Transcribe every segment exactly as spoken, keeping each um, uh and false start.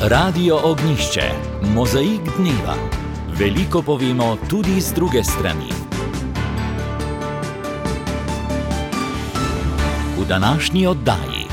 Radio Ognjišče, mozaik dneva. Veliko povemo tudi z druge strani. V današnji oddaji.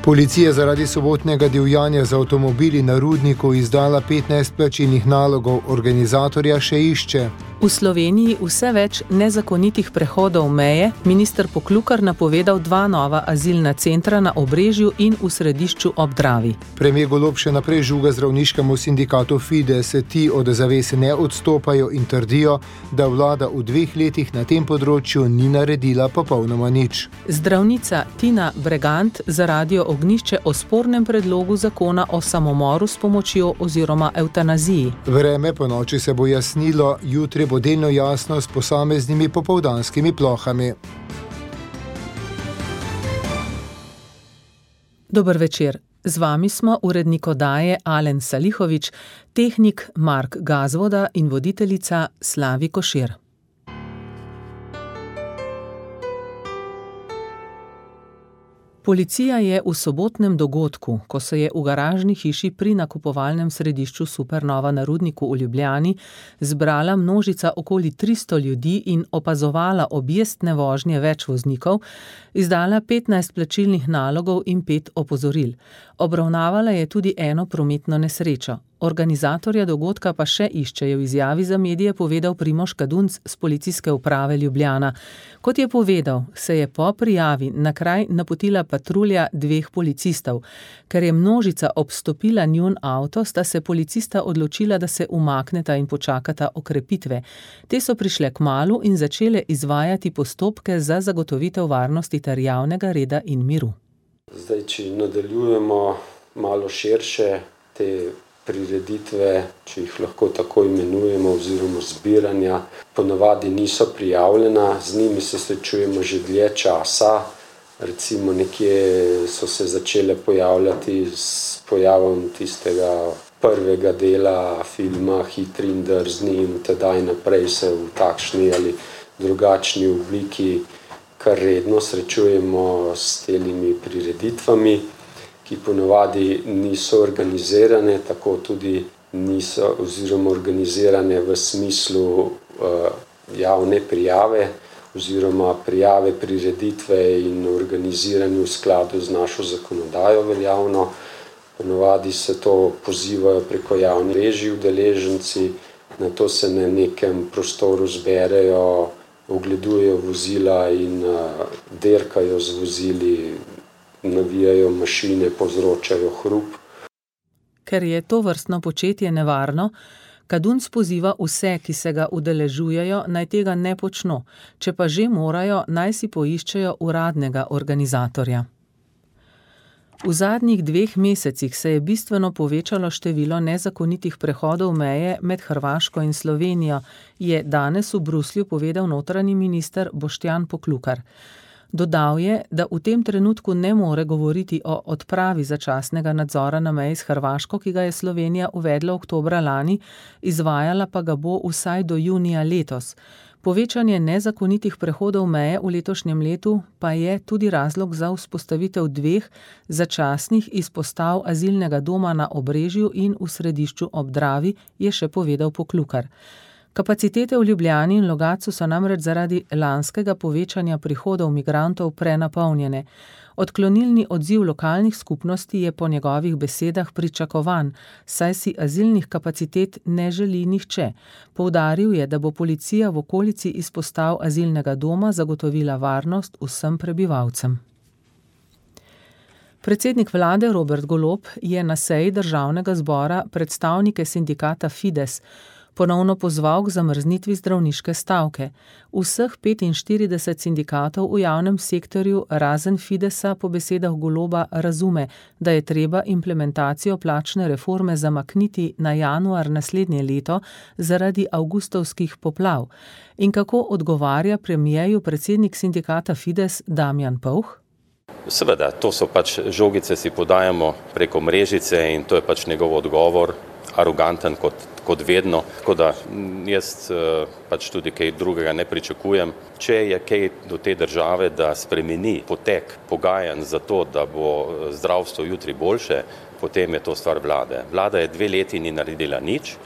Policija zaradi sobotnega divjanja z avtomobili na Rudniku izdala petnajst plačilnih nalogov, organizatorja še išče. V Sloveniji vse več nezakonitih prehodov meje, minister Poklukar napovedal dva nova azilna centra na Obrežju in v Središču ob Dravi. Premier Golob še naprej žuga zdravniškemu sindikatu Fides, ti od zavese ne odstopajo in trdijo, da vlada v dveh letih na tem področju ni naredila popolnoma nič. Zdravnica Tina Bregant za Radio Ognjišče o spornem predlogu zakona o samomoru s pomočjo oziroma evtanaziji. Vreme po noči se bo jasnilo, jutri bo delno jasno s posameznimi popoldanskimi plohami. Dober večer. Z vami smo urednik oddaje Alen Salihovič, tehnik Mark Gazvoda in voditeljica Slavi Košir. Policija je v sobotnem dogodku, ko se je v garažni hiši pri nakupovalnem središču Supernova na Rudniku v Ljubljani zbrala množica okoli tristo ljudi in opazovala objestne vožnje več voznikov, izdala petnajst plačilnih nalogov in pet opozoril. Obravnavala je tudi eno prometno nesrečo. Organizatorja dogodka pa še išče, je v izjavi za medije povedal Primož Kadunc z Policijske uprave Ljubljana. Kot je povedal, se je po prijavi na kraj napotila patrulja dveh policistov. Ker je množica obstopila njun avto, sta se policista odločila, da se umakneta in počakata okrepitve. Te so prišle kmalu in začele izvajati postopke za zagotovitev varnosti ter javnega reda in miru. Zdaj, če nadaljujemo malo širše, te prireditve, če jih lahko tako imenujemo, oziroma zbiranja, ponavadi niso prijavljena, z njimi se srečujemo že dlje časa, recimo nekje so se začele pojavljati s pojavom tistega prvega dela filma Hitri in drzni in tedaj naprej se v takšni ali drugačni obliki kar redno srečujemo s temi prireditvami, ki ponavadi niso organizirane, tako tudi niso oziroma organizirane v smislu uh, javne prijave oziroma prijave prireditve in organiziranje v skladu z našo zakonodajo veljavno. Ponavadi se to pozivajo preko javnih mrežij udeleženci, na to se na nekem prostoru zberejo, ogledujejo vozila in uh, derkajo z vozili, navijajo mašine, povzročajo hrup. Ker je to vrstno početje nevarno, Kadunc poziva vse, ki se ga udeležujejo, naj tega ne počno, če pa že morajo, naj si poiščejo uradnega organizatorja. V zadnjih dveh mesecih se je bistveno povečalo število nezakonitih prehodov meje med Hrvaško in Slovenijo, je danes v Bruslju povedal notranji minister Boštjan Poklukar. Dodal je, da v tem trenutku ne more govoriti o odpravi začasnega nadzora na meji s Hrvaško, ki ga je Slovenija uvedla oktobra lani, izvajala pa ga bo vsaj do junija letos. Povečanje nezakonitih prehodov meje v letošnjem letu pa je tudi razlog za vzpostavitev dveh začasnih izpostav azilnega doma na Obrežju in v Središču ob Dravi, je še povedal Poklukar. Kapacitete v Ljubljani in Logatcu so namreč zaradi lanskega povečanja prihodov migrantov prenapolnjene. Odklonilni odziv lokalnih skupnosti je po njegovih besedah pričakovan, saj si azilnih kapacitet ne želi nihče. Poudaril je, da bo policija v okolici izpostav azilnega doma zagotovila varnost vsem prebivalcem. Predsednik vlade Robert Golob je na seji Državnega zbora predstavnike sindikata Fides ponovno pozval k zamrznitvi zdravniške stavke. Vseh petinštirideset sindikatov v javnem sektorju razen Fidesa po besedah Goloba razume, da je treba implementacijo plačne reforme zamakniti na januar naslednje leto zaradi avgustovskih poplav. In kako odgovarja premierju predsednik sindikata Fides Damjan Povh? Seveda, to so pač žogice, si podajamo preko mrežice in to je pač njegov odgovor. aroganten kot, kot vedno, tako da jaz pač tudi kaj drugega ne pričakujem. Če je kaj do te države, da spremeni potek pogajanj za to, da bo zdravstvo jutri boljše, potem je to stvar vlade. Vlada je dve leti ni naredila nič.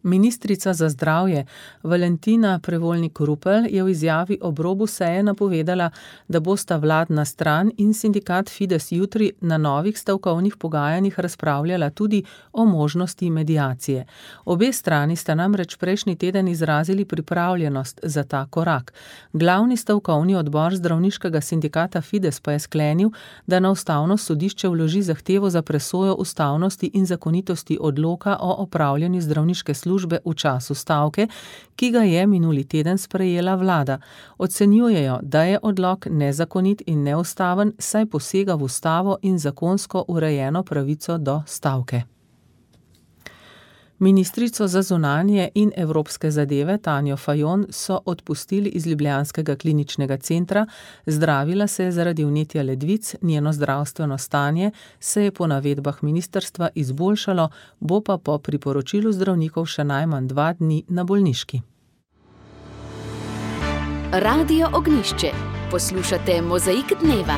Ministrica za zdravje Valentina Prevolnik-Rupel je v izjavi ob robu seje napovedala, da bosta vladna stran in sindikat Fides jutri na novih stavkovnih pogajanjih razpravljala tudi o možnosti mediacije. Obe strani sta namreč prejšnji teden izrazili pripravljenost za ta korak. Glavni stavkovni odbor zdravniškega sindikata Fides pa je sklenil, da na ustavno sodišče vloži zahtevo za presojo ustavnosti in zakonitosti odloka o opravljanju zdravniške službe službe v času stavke, ki ga je minuli teden sprejela vlada. Ocenjujejo, da je odlok nezakonit in neustaven, saj posega v ustavo in zakonsko urejeno pravico do stavke. Ministrico za zunanje in evropske zadeve Tanjo Fajon so odpustili iz ljubljanskega kliničnega centra, zdravila se je zaradi vnetja ledvic, njeno zdravstveno stanje se je po navedbah ministrstva izboljšalo, bo pa po priporočilu zdravnikov še najmanj dva dni na bolniški. Radio Ognjišče. Poslušate Mozaik dneva.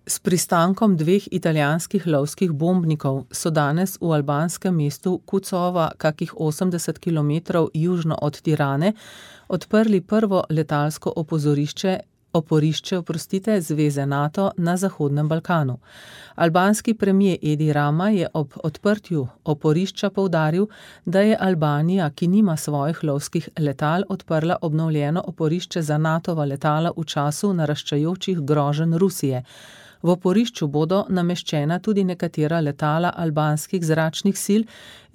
S pristankom dveh italijanskih lovskih bombnikov so danes v albanskem mestu Kucova, kakih osemdeset kilometrov južno od Tirane, odprli prvo letalsko opozorišče, oporišče, oprostite, Zveze NATO na Zahodnem Balkanu. Albanski premier Edi Rama je ob odprtju oporišča poudaril, da je Albanija, ki nima svojih lovskih letal, odprla obnovljeno oporišče za NATova letala v času naraščajočih groženj Rusije. V oporišču bodo nameščena tudi nekatera letala albanskih zračnih sil,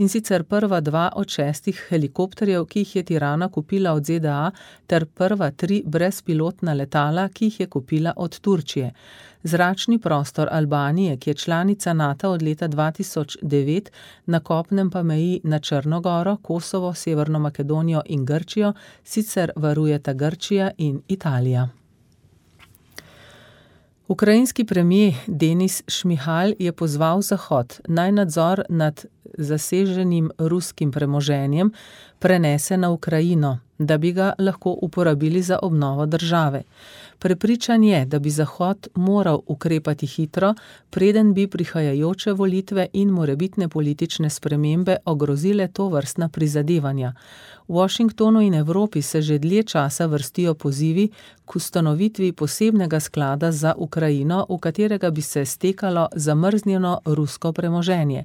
in sicer prva dva od šestih helikopterjev, ki jih je Tirana kupila od ZDA, ter prva tri brezpilotna letala, ki jih je kupila od Turčije. Zračni prostor Albanije, ki je članica NATO od leta dva tisoč devet, na kopnem pa meji na Črnogoro, Kosovo, Severno Makedonijo in Grčijo, sicer varujeta Grčija in Italija. Ukrajinski premier Denis Šmihal je pozval Zahod, naj nadzor nad zaseženim ruskim premoženjem prenese na Ukrajino, da bi ga lahko uporabili za obnovo države. Prepričan je, da bi Zahod moral ukrepati hitro, preden bi prihajajoče volitve in morebitne politične spremembe ogrozile tovrstna prizadevanja. V Washingtonu in Evropi se že dlje časa vrstijo pozivi k ustanovitvi posebnega sklada za Ukrajino, v katerega bi se stekalo zamrznjeno rusko premoženje.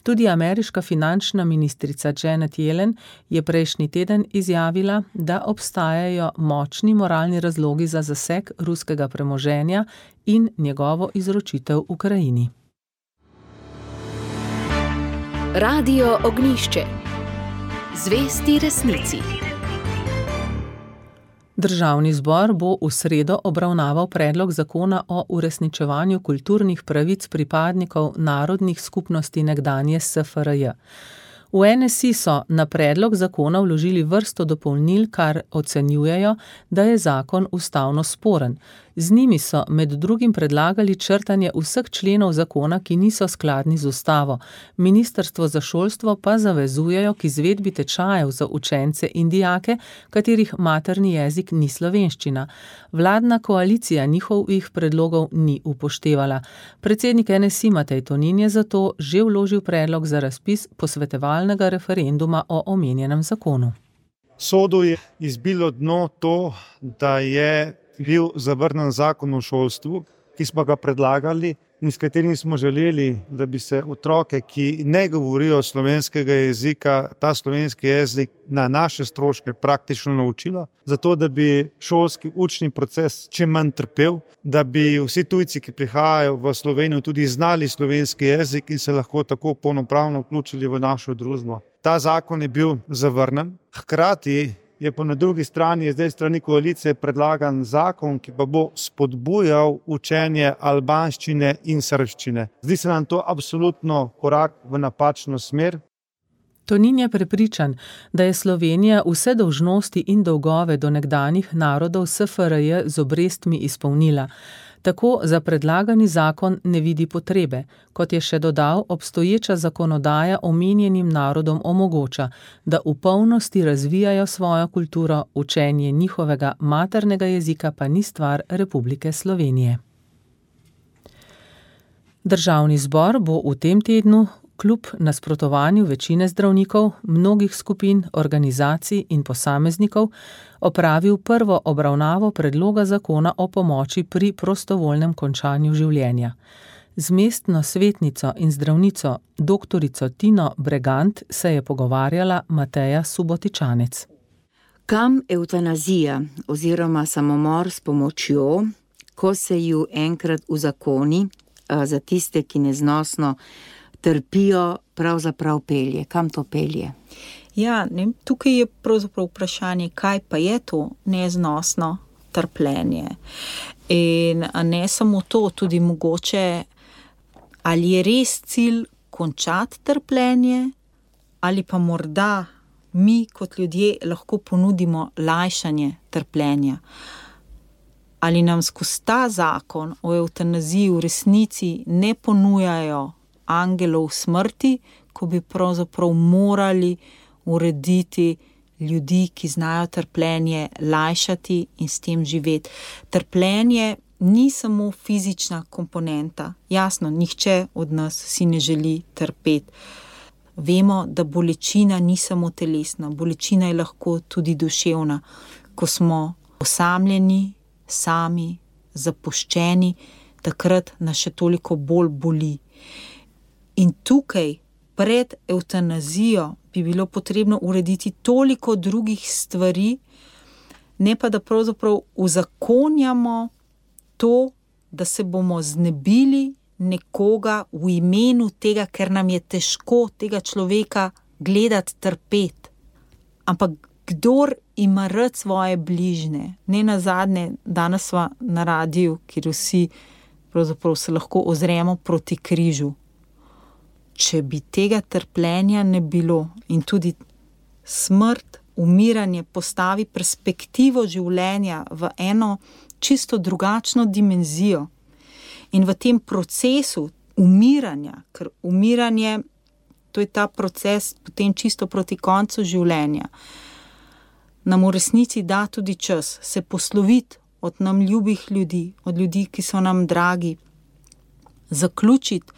Tudi ameriška finančna ministrica Janet Yellen je prejšnji teden izjavila, da obstajajo močni moralni razlogi za zaseg ruskega premoženja in njegovo izročitev Ukrajini. Radio Ognjišče. Zvesti resnici. Državni zbor bo v sredo obravnaval predlog zakona o uresničevanju kulturnih pravic pripadnikov narodnih skupnosti nekdanje S F R J. V N S I so na predlog zakona vložili vrsto dopolnil, kar ocenjujejo, da je zakon ustavno sporen. Z njimi so med drugim predlagali črtanje vseh členov zakona, ki niso skladni z ustavo. Ministrstvo za šolstvo pa zavezujejo k izvedbi tečajev za učence in dijake, katerih materni jezik ni slovenščina. Vladna koalicija njihovih predlogov ni upoštevala. Predsednik N S I Matej Tonin je zato že vložil predlog za razpis posvetovalnega referenduma o omenjenem zakonu. Sodu je izbilo dno to, da je bil zavrnjen zakon o šolstvu, ki smo ga predlagali in s katerim smo želeli, da bi se otroke, ki ne govorijo slovenskega jezika, ta slovenski jezik na naše stroške praktično naučilo, zato da bi šolski učni proces čim manj trpel, da bi vsi tujci, ki prihajajo v Slovenijo, tudi znali slovenski jezik in se lahko tako polnopravno vključili v našo družbo. Ta zakon je bil zavrnjen, hkrati je pa na drugi strani, zdaj strani koalicije predlagan zakon, ki pa bo spodbujal učenje albanščine in srbščine. Zdi se nam to absolutno korak v napačno smer. Tonin je prepričan, da je Slovenija vse dolžnosti in dolgove do nekdanjih narodov S F R J z obrestmi izpolnila. Tako za predlagani zakon ne vidi potrebe, kot je še dodal, obstoječa zakonodaja omenjenim narodom omogoča, da v polnosti razvijajo svojo kulturo, učenje njihovega maternega jezika pa ni stvar Republike Slovenije. Državni zbor bo v tem tednu kljub nasprotovanju večine zdravnikov, mnogih skupin, organizacij in posameznikov opravil prvo obravnavo predloga zakona o pomoči pri prostovoljnem končanju življenja. Z mestno svetnico in zdravnico doktorico Tino Bregant se je pogovarjala Mateja Subotičanec. Kam evtanazija oziroma samomor s pomočjo, ko se ju enkrat uzakoni, za tiste, ki neznosno trpijo, pravzaprav pelje? Kam to pelje? Ja, ne, tukaj je pravzaprav vprašanje, kaj pa je to neznosno trpljenje. In ne samo to, tudi mogoče, ali je res cilj končati trpljenje, ali pa morda mi kot ljudje lahko ponudimo lajšanje trpljenja. Ali nam skozi ta zakon o evtanaziji v resnici ne ponujajo angelov smrti, ko bi pravzaprav morali urediti ljudi, ki znajo trpljenje lajšati in s tem živeti. Trpljenje ni samo fizična komponenta. Jasno, nihče od nas si ne želi trpeti. Vemo, da bolečina ni samo telesna, bolečina je lahko tudi duševna. Ko smo osamljeni, sami, zapuščeni, takrat nas še toliko bolj boli. In tukaj, pred evtanazijo, bi bilo potrebno urediti toliko drugih stvari, ne pa da pravzaprav uzakonjamo to, da se bomo znebili nekoga v imenu tega, ker nam je težko tega človeka gledati trpeti. Ampak kdor ima rad svoje bližne, ne nazadnje, danes sva na radiju, kjer vsi pravzaprav se lahko ozremo proti križu. Če bi tega trpljenja ne bilo in tudi smrt, umiranje postavi perspektivo življenja v eno čisto drugačno dimenzijo in v tem procesu umiranja, ker umiranje, to je ta proces potem čisto proti koncu življenja, nam v resnici da tudi čas se posloviti od nam ljubih ljudi, od ljudi, ki so nam dragi, zaključiti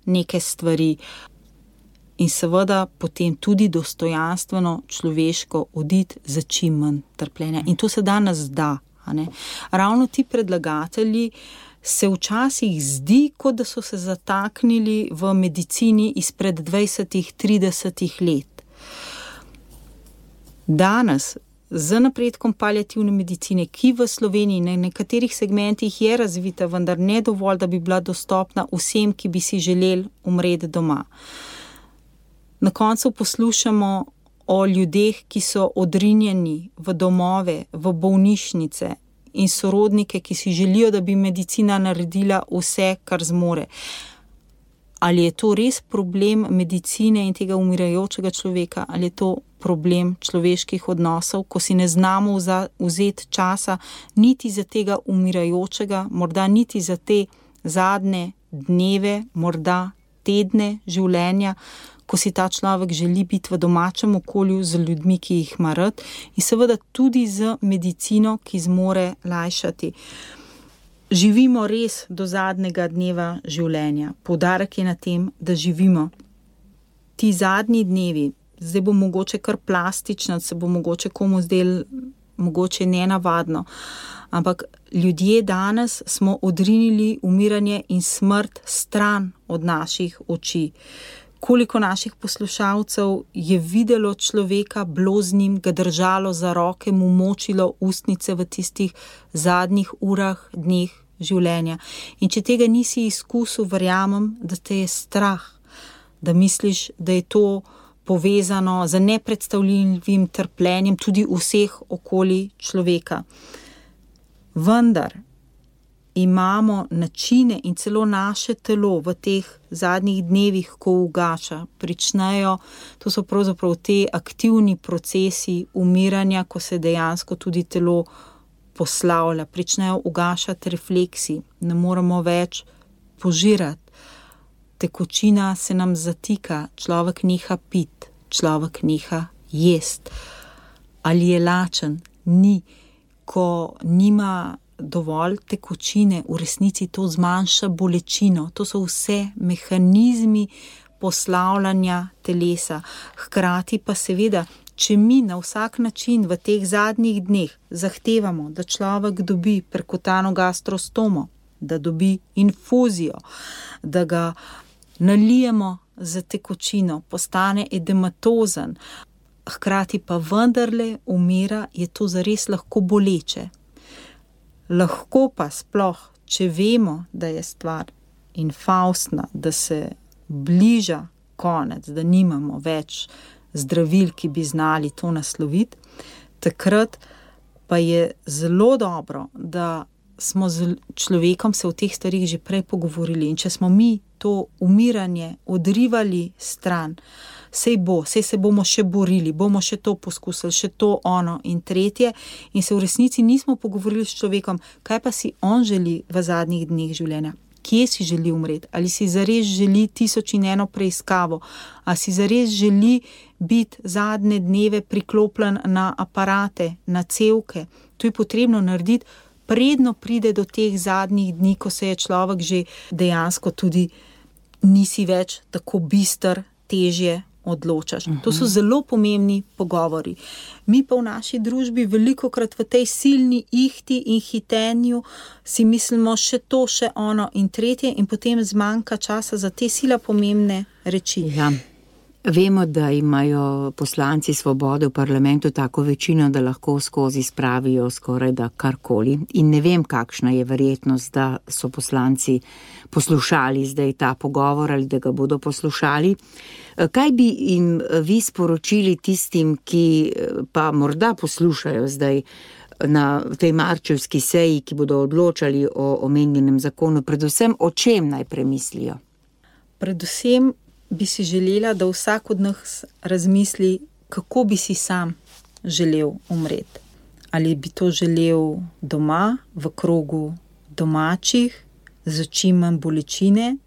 neke stvari in seveda potem tudi dostojanstveno človeško oditi za čim manj trpljenja. In to se danes da. A ne? Ravno ti predlagatelji se včasih zdi, kot da so se zataknili v medicini izpred dvajsetih, tridesetih let. Danes z napredkom paliativne medicine, ki v Sloveniji na nekaterih segmentih je razvita, vendar ne dovolj, da bi bila dostopna vsem, ki bi si želeli umreti doma. Na koncu poslušamo o ljudeh, ki so odrinjeni v domove, v bolnišnice in sorodnike, ki si želijo, da bi medicina naredila vse, kar zmore. Ali je to res problem medicine in tega umirajočega človeka, ali je to problem človeških odnosov, ko si ne znamo vzeti časa niti za tega umirajočega, morda niti za te zadnje dneve, morda tedne življenja, ko si ta človek želi biti v domačem okolju z ljudmi, ki jih ima rad, in seveda tudi z medicino, ki zmore lajšati. Živimo res do zadnjega dneva življenja. Poudarek je na tem, da živimo. Ti zadnji dnevi, zdaj bo mogoče kar plastično, se bo mogoče komu zdel mogoče nenavadno, ampak ljudje danes smo odrinili umiranje in smrt stran od naših oči. Koliko naših poslušalcev je videlo človeka, bilo z njim, ga držalo za roke, mu močilo ustnice v tistih zadnjih urah, dneh življenja. In če tega nisi izkusil, verjamem, da te je strah, da misliš, da je to povezano z nepredstavljivim trpljenjem tudi vseh okoli človeka. Vendar imamo načine in celo naše telo v teh zadnjih dnevih, ko ugaša, pričnejo, to so pravzaprav te aktivni procesi umiranja, ko se dejansko tudi telo poslavlja, pričnejo ugašati refleksi, ne moremo več požirati. Tekočina se nam zatika, človek neha pit, človek neha jest. Ali je lačen? Ni. Ko nima dovolj tekočine, v resnici to zmanjša bolečino. To so vse mehanizmi poslavljanja telesa. Hkrati pa seveda, če mi na vsak način v teh zadnjih dneh zahtevamo, da človek dobi perkutano gastrostomo, da dobi infuzijo, da ga nalijemo za tekočino, postane edematozen, hkrati pa vendarle umira, je to zares lahko boleče. Lahko pa sploh, če vemo, da je stvar infaustna, da se bliža konec, da nimamo več zdravil, ki bi znali to nasloviti, takrat pa je zelo dobro, da smo z človekom se o teh stvarih že prej pogovorili in če smo mi to umiranje odrivali stran, sej bo, sej se bomo še borili, bomo še to poskusili, še to, ono in tretje in se v resnici nismo pogovorili s človekom, kaj pa si on želi v zadnjih dneh življenja. Kje si želi umreti? Ali si zares želi tisoč in eno preiskavo? Ali si zares želi biti zadnje dneve priklopljen na aparate, na cevke? To je potrebno narediti, predno pride do teh zadnjih dni, ko se je človek že dejansko tudi nisi več tako bister, težje odločaš. Uh-huh. To so zelo pomembni pogovori. Mi pa v naši družbi velikokrat v tej silni ihti in hitenju si mislimo še to, še ono in tretje in potem zmanjka časa za te sila pomembne reči. Ja. Vemo, da imajo poslanci Svobode v parlamentu tako večino, da lahko skozi spravijo skoraj da karkoli. In ne vem, kakšna je verjetnost, da so poslanci poslušali zdaj ta pogovor ali da ga bodo poslušali. Kaj bi jim vi sporočili tistim, ki pa morda poslušajo zdaj na tej marčevski seji, ki bodo odločali o omenjenem zakonu, predvsem o čem naj premislijo? Predvsem bi si želela, da vsak od nas razmisli, kako bi si sam želel umreti. Ali bi to želel doma, v krogu domačih, z čim manj bolečine,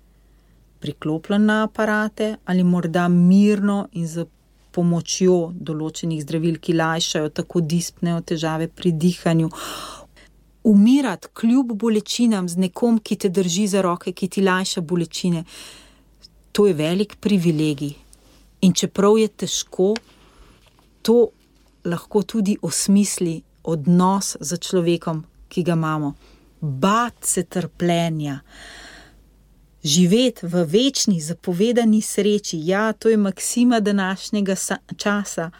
priklopljen na aparate, ali morda mirno in z pomočjo določenih zdravil, ki lajšajo tako dispne težave pri dihanju. Umirati kljub bolečinam z nekom, ki te drži za roke, ki ti lajša bolečine, to je velik privilegij. In čeprav je težko, to lahko tudi osmisli odnos z človekom, ki ga imamo. Bati se trpljenja, živeti v večni zapovedani sreči, ja, to je maksima današnjega časa,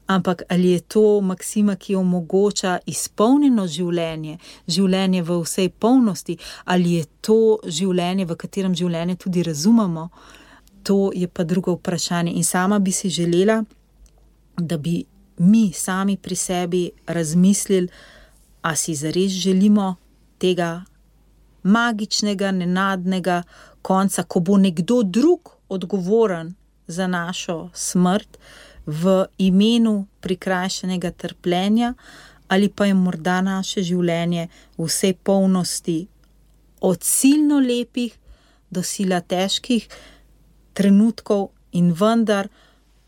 ampak ali je to maksima, ki omogoča izpolnjeno življenje, življenje v vsej polnosti, ali je to življenje, v katerem življenje tudi razumemo, to je pa drugo vprašanje. In sama bi si želela, da bi mi sami pri sebi razmislili, a si zares želimo tega magičnega, nenadnega konca, ko bo nekdo drug odgovoren za našo smrt v imenu prikrajšanega trpljenja, ali pa je morda naše življenje v vsej polnosti od silno lepih do sila težkih trenutkov in vendar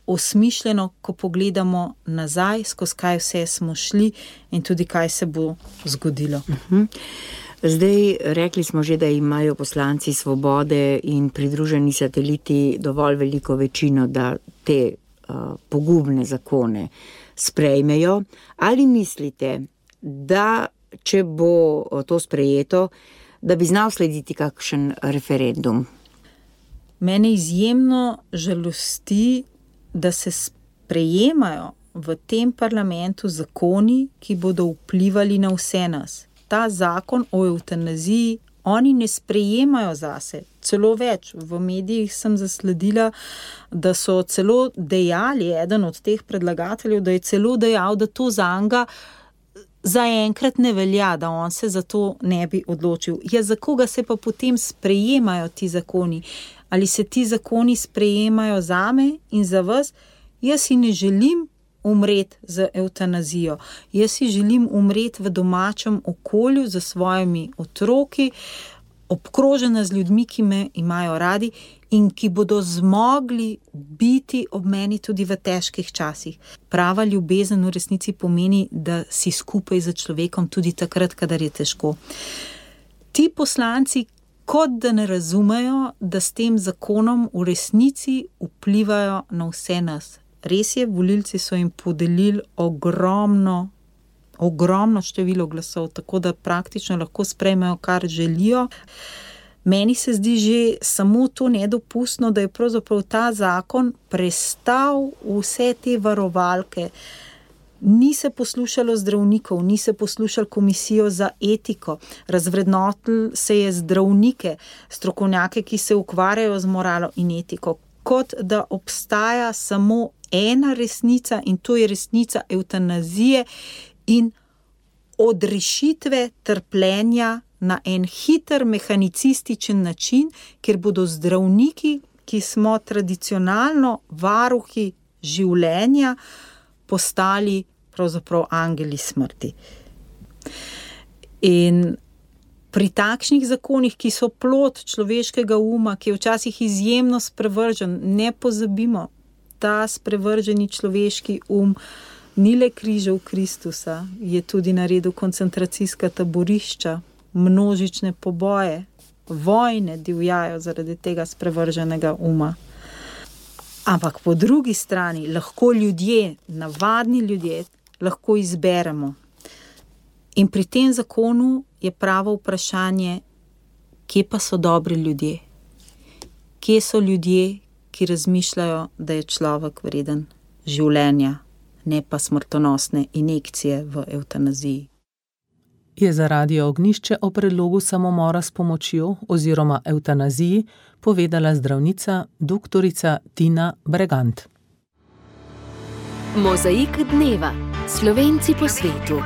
osmišljeno, ko pogledamo nazaj, skozi kaj vse smo šli in tudi kaj se bo zgodilo. Uh-huh. Zdaj, rekli smo že, da imajo poslanci Svobode in pridruženi sateliti dovolj veliko večino, da te uh, pogubne zakone sprejmejo. Ali mislite, da če bo to sprejeto, da bi znal slediti kakšen referendum? Mene izjemno žalosti, da se sprejemajo v tem parlamentu zakoni, ki bodo vplivali na vse nas. Ta zakon o evtanaziji oni ne sprejemajo zase. Celo več, v medijih sem zasledila, da so celo dejali, eden od teh predlagateljev, da je celo dejal, da to zanga zaenkrat ne velja, da on se za to ne bi odločil. Ja, za koga se pa potem sprejemajo ti zakoni? Ali se ti zakoni sprejemajo zame in za vas? Jaz si ne želim umreti z evtanazijo. Jaz si želim umreti v domačem okolju z svojimi otroki, obkrožena z ljudmi, ki me imajo radi in ki bodo zmogli biti ob meni tudi v težkih časih. Prava ljubezen v resnici pomeni, da si skupaj z človekom tudi takrat, kadar je težko. Ti poslanci kot da ne razumejo, da s tem zakonom v resnici vplivajo na vse nas. Res je, volilci so jim podelili ogromno, ogromno število glasov, tako da praktično lahko sprejmejo, kar želijo. Meni se zdi že samo to nedopustno, da je pravzaprav ta zakon prestal vse te varovalke. Ni se poslušalo zdravnikov, ni se poslušalo komisijo za etiko, razvrednotili se je zdravnike, strokovnjake, ki se ukvarjajo z moralo in etiko, kot da obstaja samo ena resnica in to je resnica evtanazije in odrešitve trpljenja na en hiter, mehanicističen način, kjer bodo zdravniki, ki smo tradicionalno varuhi življenja, postali pravzaprav angeli smrti. In pri takšnih zakonih, ki so plod človeškega uma, ki je včasih izjemno sprevržen, ne pozabimo, ta sprevrženi človeški um ni le križal Kristusa, je tudi naredil koncentracijska taborišča, množične poboje, vojne divjajo zaradi tega sprevrženega uma. Ampak po drugi strani lahko ljudje, navadni ljudje, lahko izberemo. In pri tem zakonu je pravo vprašanje, kje pa so dobri ljudje? Kje so ljudje, ki razmišljajo, da je človek vreden življenja, ne pa smrtonosne injekcije v evtanaziji? Je za Radio Ognjišče o predlogu samomora s pomočjo oziroma evtanaziji povedala zdravnica doktorica Tina Bregant. Mozaik dneva. Slovenci po svetu.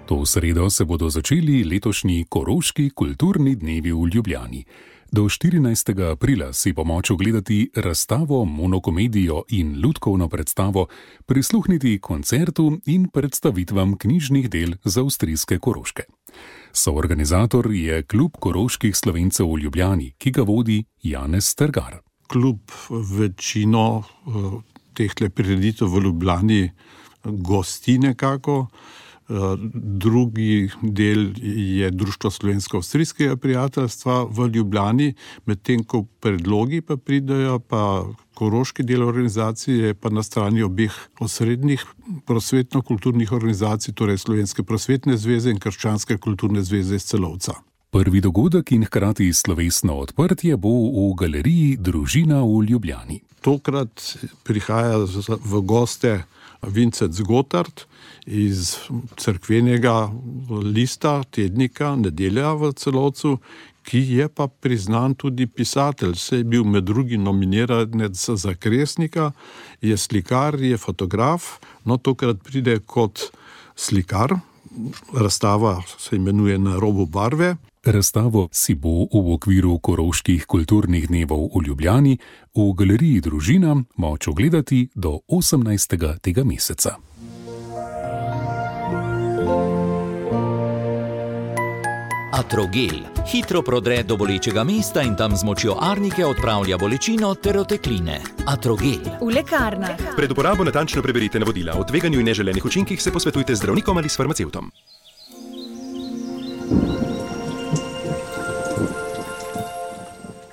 To sredo se bodo začeli letošnji Koroški kulturni dnevi v Ljubljani. Do štirinajstega aprila si po moč ogledati razstavo, monokomedijo in lutkovno predstavo, prisluhniti koncertu in predstavitvam knjižnih del z avstrijske Koroške. Soorganizator je Klub koroških Slovencev v Ljubljani, ki ga vodi Janez Strgar. Klub večino tehle prireditev v Ljubljani gosti nekako. Drugi del je Društvo slovensko-avstrijskega prijateljstva v Ljubljani, medtem ko predlogi pa pridejo, pa koroški del organizacije pa na strani obeh osrednjih prosvetno-kulturnih organizacij, torej Slovenske prosvetne zveze in Krščanske kulturne zveze iz Celovca. Prvi dogodek in hkrati slovesno odprtje bo v galeriji Družina v Ljubljani. Tokrat prihaja v goste Vincent Gotthard iz cerkvenega lista, tednika Nedelja v Celovcu, ki je pa priznan tudi pisatelj. Se je bil med drugim nominiranec za Kresnika, je slikar, je fotograf, no tokrat pride kot slikar. Razstava se imenuje Na robu barve. Razstavo si bo v okviru Koroških kulturnih dnevov v Ljubljani v galeriji Družina moč ogledati do osemnajstega tega meseca. Atrogel hitro prodre do bolečega mesta in tam z močjo arnike odpravlja bolečino ter otekline. Atrogel. V lekarnah. Pred uporabo natančno preberite navodila. O tveganju in neželenih učinkih se posvetujte z zdravnikom ali s farmacevtom.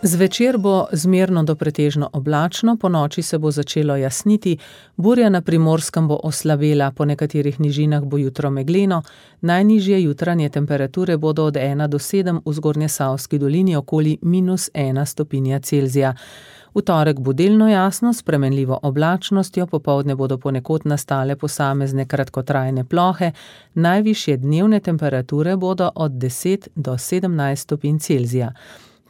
Zvečer bo zmerno do pretežno oblačno, ponoči se bo začelo jasniti, burja na Primorskem bo oslabela, po nekaterih nižinah bo jutro megleno, najnižje jutranje temperature bodo od ena do sedem, v Zgornjesavski dolini okoli minus ena stopinja Celzija. V torek bo delno jasno, s spremenljivo oblačnostjo, popoldne bodo ponekod nastale posamezne kratkotrajne plohe, najvišje dnevne temperature bodo od deset do sedemnajst stopinj Celzija.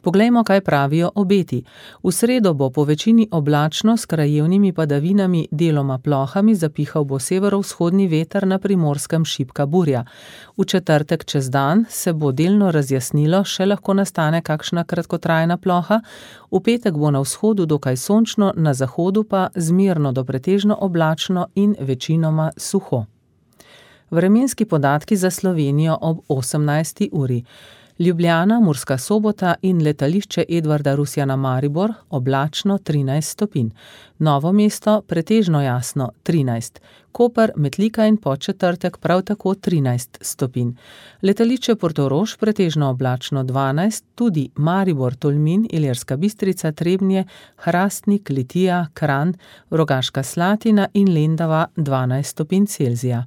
Poglejmo, kaj pravijo obeti. V sredo bo po večini oblačno s krajevnimi padavinami, deloma plohami, zapihal bo severovzhodni veter, na Primorskem šibka burja. V četrtek čez dan se bo delno razjasnilo, še lahko nastane kakšna kratkotrajna ploha. V petek bo na vzhodu dokaj sončno, na zahodu pa zmerno do pretežno oblačno in večinoma suho. Vremenski podatki za Slovenijo ob osemnajsti uri. Ljubljana, Murska Sobota in letališče Edvarda Rusjana Maribor oblačno trinajst stopinj. Novo mesto pretežno jasno trinajst. Koper, Metlika in Podčetrtek prav tako trinajst stopinj. Letališče Portorož pretežno oblačno dvanajst, tudi Maribor, Tolmin, Ilirska Bistrica, Trebnje, Hrastnik, Litija, Kranj, Rogaška Slatina in Lendava dvanajst stopinj Celzija.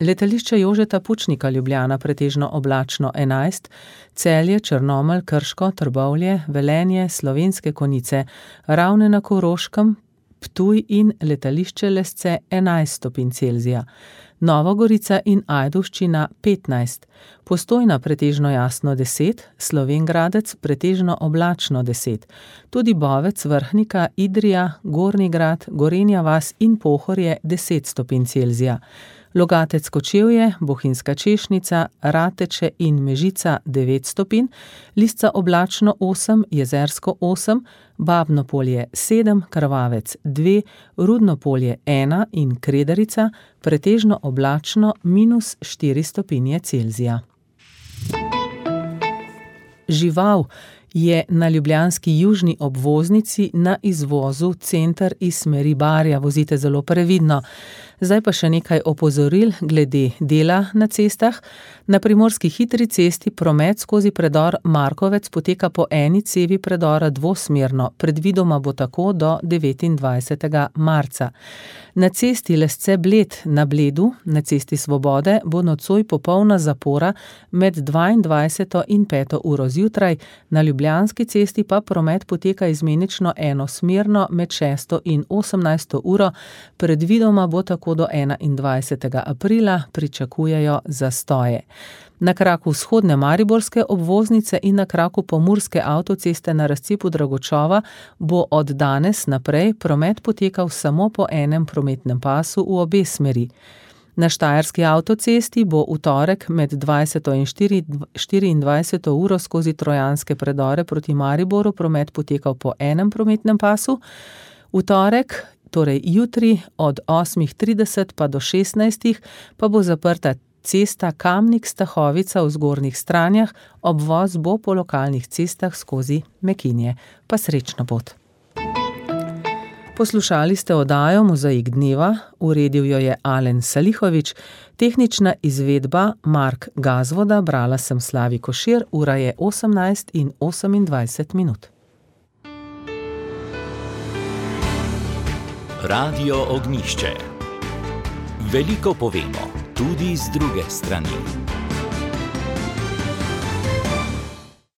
Letališče Jožeta Pučnika Ljubljana pretežno oblačno enajst, Celje, Črnomelj, Krško, Trbovlje, Velenje, Slovenske Konjice, Ravne na Koroškem, Ptuj in letališče Lesce enajst stopinj Celzija. Nova Gorica in Ajdovščina petnajst, Postojna pretežno jasno deset, Slovenj Gradec pretežno oblačno deset, tudi Bovec, Vrhnika, Idrija, Gornji Grad, Gorenja vas in Pohorje deset stopinj Celzija. Logatec Kočevje, Bohinjska Češnica, Rateče in Mežica devet stopinj, Lisca oblačno osem, Jezersko osem, Babno Polje sedem, Krvavec dve, Rudno Polje ena in Kredarica pretežno oblačno minus štiri stopinje Celzija. Žival je na ljubljanski južni obvoznici na izvozu center iz smeri Barja. Vozite zelo previdno. Zdaj pa še nekaj opozoril glede dela na cestah. Na primorski hitri cesti promet skozi predor Markovec poteka po eni cevi predora dvosmerno, predvidoma bo tako do devetindvajsetega marca. Na cesti Lesce Bled na Bledu, na cesti Svobode, bo nocoj popolna zapora med dvaindvajseto in peto uro zjutraj, na Ljubljanski cesti pa promet poteka izmenično enosmerno med šesto in osemnajsto uro, predvidoma bo tako do enaindvajsetega aprila, pričakujejo zastoje. Na kraku vzhodne mariborske obvoznice in na kraku pomurske avtoceste na razcepu Dragočova bo od danes naprej promet potekal samo po enem prometnem pasu v obe smeri. Na štajerski avtocesti bo v torek med dvajseto in štiriindvajseto uro skozi trojanske predore proti Mariboru promet potekal po enem prometnem pasu. V torek, torej jutri, od osmih trideset pa do šestnajstih pa bo zaprta cesta Kamnik-Stahovica v Zgornjih Stranjah, obvoz bo po lokalnih cestah skozi Mekinje. Pa srečno pot. Poslušali ste oddajo Mozaik dneva, uredil jo je Alen Salihovič, tehnična izvedba Mark Gazvoda, brala sem Slavi Košir, ura je osemnajst in osemindvajset minut. Radio Ognjišče. Veliko povemo, tudi z druge strani.